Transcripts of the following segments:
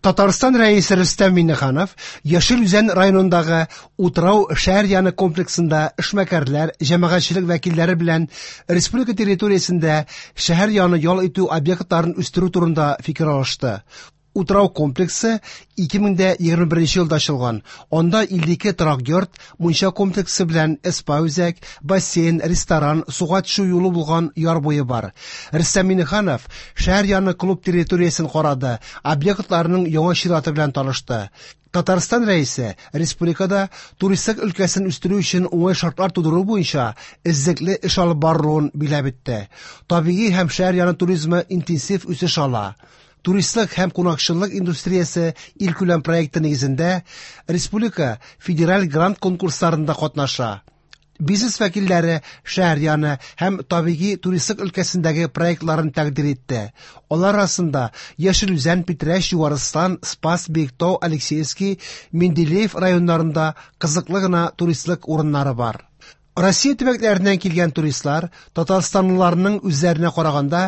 Татарстан Рәисе Рөстәм Миңнеханов Яшел Үзән районындагы Утрау шәһәр яны комплексында эшмәкәрләр, җәмәгатьчелек вәкилләре белән республика территориясендә шәһәр яны ял итү объектларын үстерү турында фикер алышты. Утрау комплексы 2021 елда ачылган. Анда 52 торак йорт, мунча комплексы белән спа-үзәк, бассейн, ресторан, суга төшү юлы булган яр буе бар. Рөстәм Миңнеханов шәһәр яны клуб территориясен карады, объектларның яңа чираты белән танышты. Татарстан Рәисе республикада туристлык өлкәсен үстерү өчен уңай шартлар тудыру буенча эзлекле эш алып барылуын билгеләп үтте. Табигый һәм шәһәр яны туризмы интенсив үсеш ала. Туристлык һәм кунакчыллык индустриясе илкүләм проекты нигезендә республика федераль грант конкурсларында катнаша. Бизнес вәкилләре шәһәр яны һәм табигый туристлык өлкәсендәге проектларын тәкъдир итте. Алар арасында Яшел Үзән, Питрәч, Югарыстан, Спас, Биектау, Алексеевский, Менделеев районнарында кызыклы гына туристлык урыннары бар. Россия төбәкләреннән килгән туристлар татарстанлыларның үзләренә караганда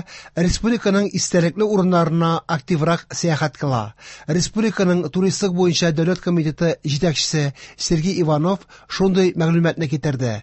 республиканың истәлекле урыннарына активрак сәяхәт кыла. Республиканың туристлык буенча дәүләт комитеты җитәкчесе Сергей Иванов шундый мәгълүматны китерде.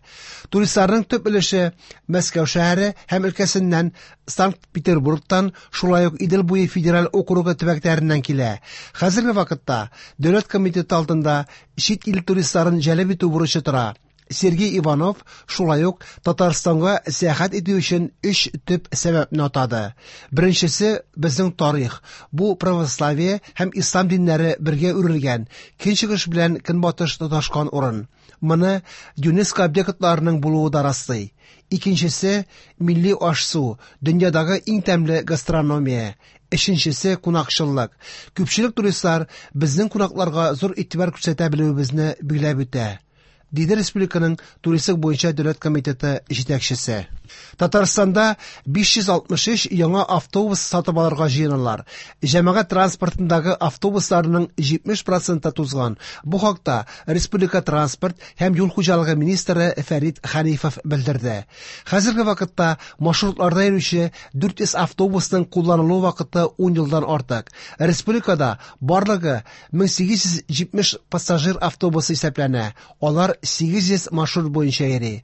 Туристларның төп өлеше Мәскәү шәһәре һәм өлкәсеннән, Санкт-Петербургтан, шулай ук Идел буе федераль округы төбәкләреннән килә. Хәзерге вакытта дәүләт комитеты алдында чит ил туристларын җәлеп итү бурычы тора. Сергей Иванов шулай ук Татарстанга сәяхәт итү өчен өч төп сәбәпне атады. Беренчесе безнең тарих. Бу православие һәм ислам диннәре бергә үрелгән, көнчыгыш белән көнбатыш тоташкан урын. Моны ЮНЕСКО объектларының булуы да раслый. Икенчесе милли аш-су, дөньядагы иң тәмле гастрономия. Өченчесе кунакчыллык. Күпчелек туристлар безнең кунакларга зур игътибар күрсәтә белүебезне билгеләп үтә. Диде республиканың туристлык буенча дәүләт комитеты җитәкчесе. Татарстанда 563 яңа автобус сатып алырга җыеналар. Җәмәгать транспортындагы автобусларның 70% тузган. Бу хакта республика транспорт һәм юл хуҗалыгы министры Фәрит Хәнифов белдерде. Хәзерге вакытта маршрутларда йөрүче 400 автобусның кулланылу вакыты 10 елдан артык. Республикада барлыгы 1870 пассажир автобусы исәпләнә. Алар 800 маршрут буенча йөри.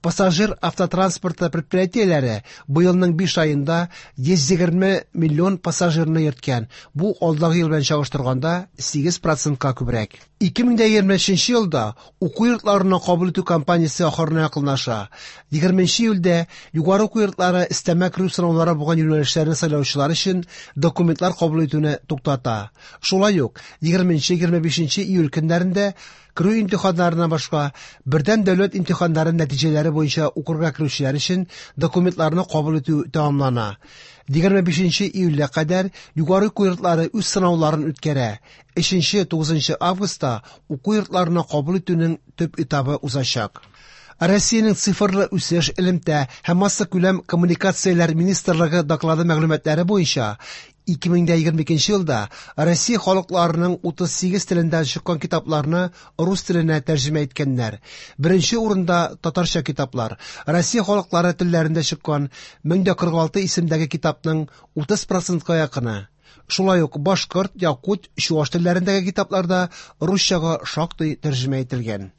Пассажир автотранспорты предприятиеләре быелның 5 аенда 120 миллион пассажирны йөрткән. Бу алдагы ел белән чагыштырганда 8%ка күбрәк. 2023 елда уку йортларына кабул итү кампаниясе ахырына якынлаша. 20 июльдә югары уку йортлары өстәмә керү сынаулары булган юнәлешләрне сайлаучылар өчен документлар кабул итүне туктата. Шулай ук 20-25 июль көннәрендә керү имтиханнарыннан башка бердәм дәүләт имтиханнары нәтиҗәләре буенча укырга керүчеләр өчен документларны кабул итү тәмамлана. 25 июльгә кадәр югары уку йортлары үз сынауларын үткәрә. 3-9 августта уку йортларына кабул итүнең төп этабы узачак. Россиянең цифрлы үсеш, элемтә һәм массакүләм коммуникацияләр министрлыгы доклады мәгълүматлары буенча 2022 елда Россия халыкларының 38 телендә чыккан китапларны рус теленә тәрҗемә иткәннәр. Беренче урында татарча китаплар. Россия халыклары телләрендә чыккан 1046 исемдәге китапның 30%ка якыны. Шулай ук башкорт, якут, чуаш телләрендәге китаплар да русчага шактый тәрҗемә ителгән.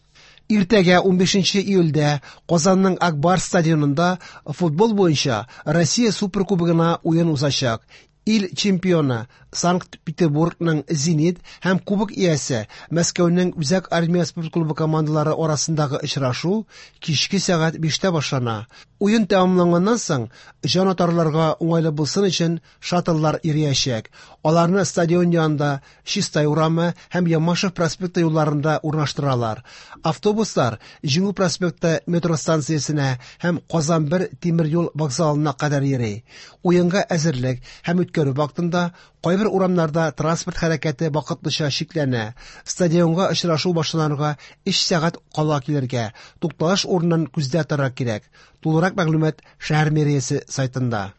Иртәгә 15 июльдә Казанның Акбар стадионында футбол буенча Россия Суперкубогына уен узачак. Ил чемпионы Санкт-Петербургның Зенит һәм кубок иясе Мәскәүнең Үзәк армия спорт клубы командалары арасындагы очрашу кичке сәгать 5тә башлана. Уен тәмамланганнан соң җанатарларга уңайлы булсын өчен шаттлар йөриячәк. Аларны стадион янында Чистай урамы һәм Ямашев проспекты юлларында урнаштыралар. Автобуслар Җиңү проспекты метро станциясенә һәм Казан 1 тимер юл вокзалына кадәр йөри. Уенга әзерлек һәм үткәрү вакытында кайбер урамнарда транспорт хәрәкәте вакытлыча чикләнә. Стадионга очрашу башланырга 3 сәгать кала килергә, тукталыш урынын күздә тотарга кирәк. Тулырак мәгълүмат шәһәр мэриясе сайтында.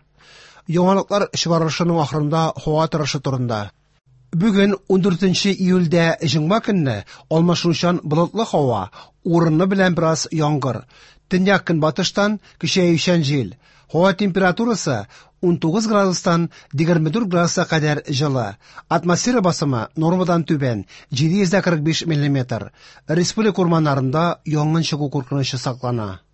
Яңалыклар чыгарылышының ахырында һава торышы турында. Бүген 14 июльдә җомга көнне алмашынучан болытлы һава, урыны белән бераз яңгыр. Төньяк көнбатыштан көчәючән җил. Һава температурасы 19 градустан 24 градуска кадәр җылы. Атмосфера басымы нормадан түбән 745 миллиметр. Республика урманнарында янгын чыгу куркынычы саклана.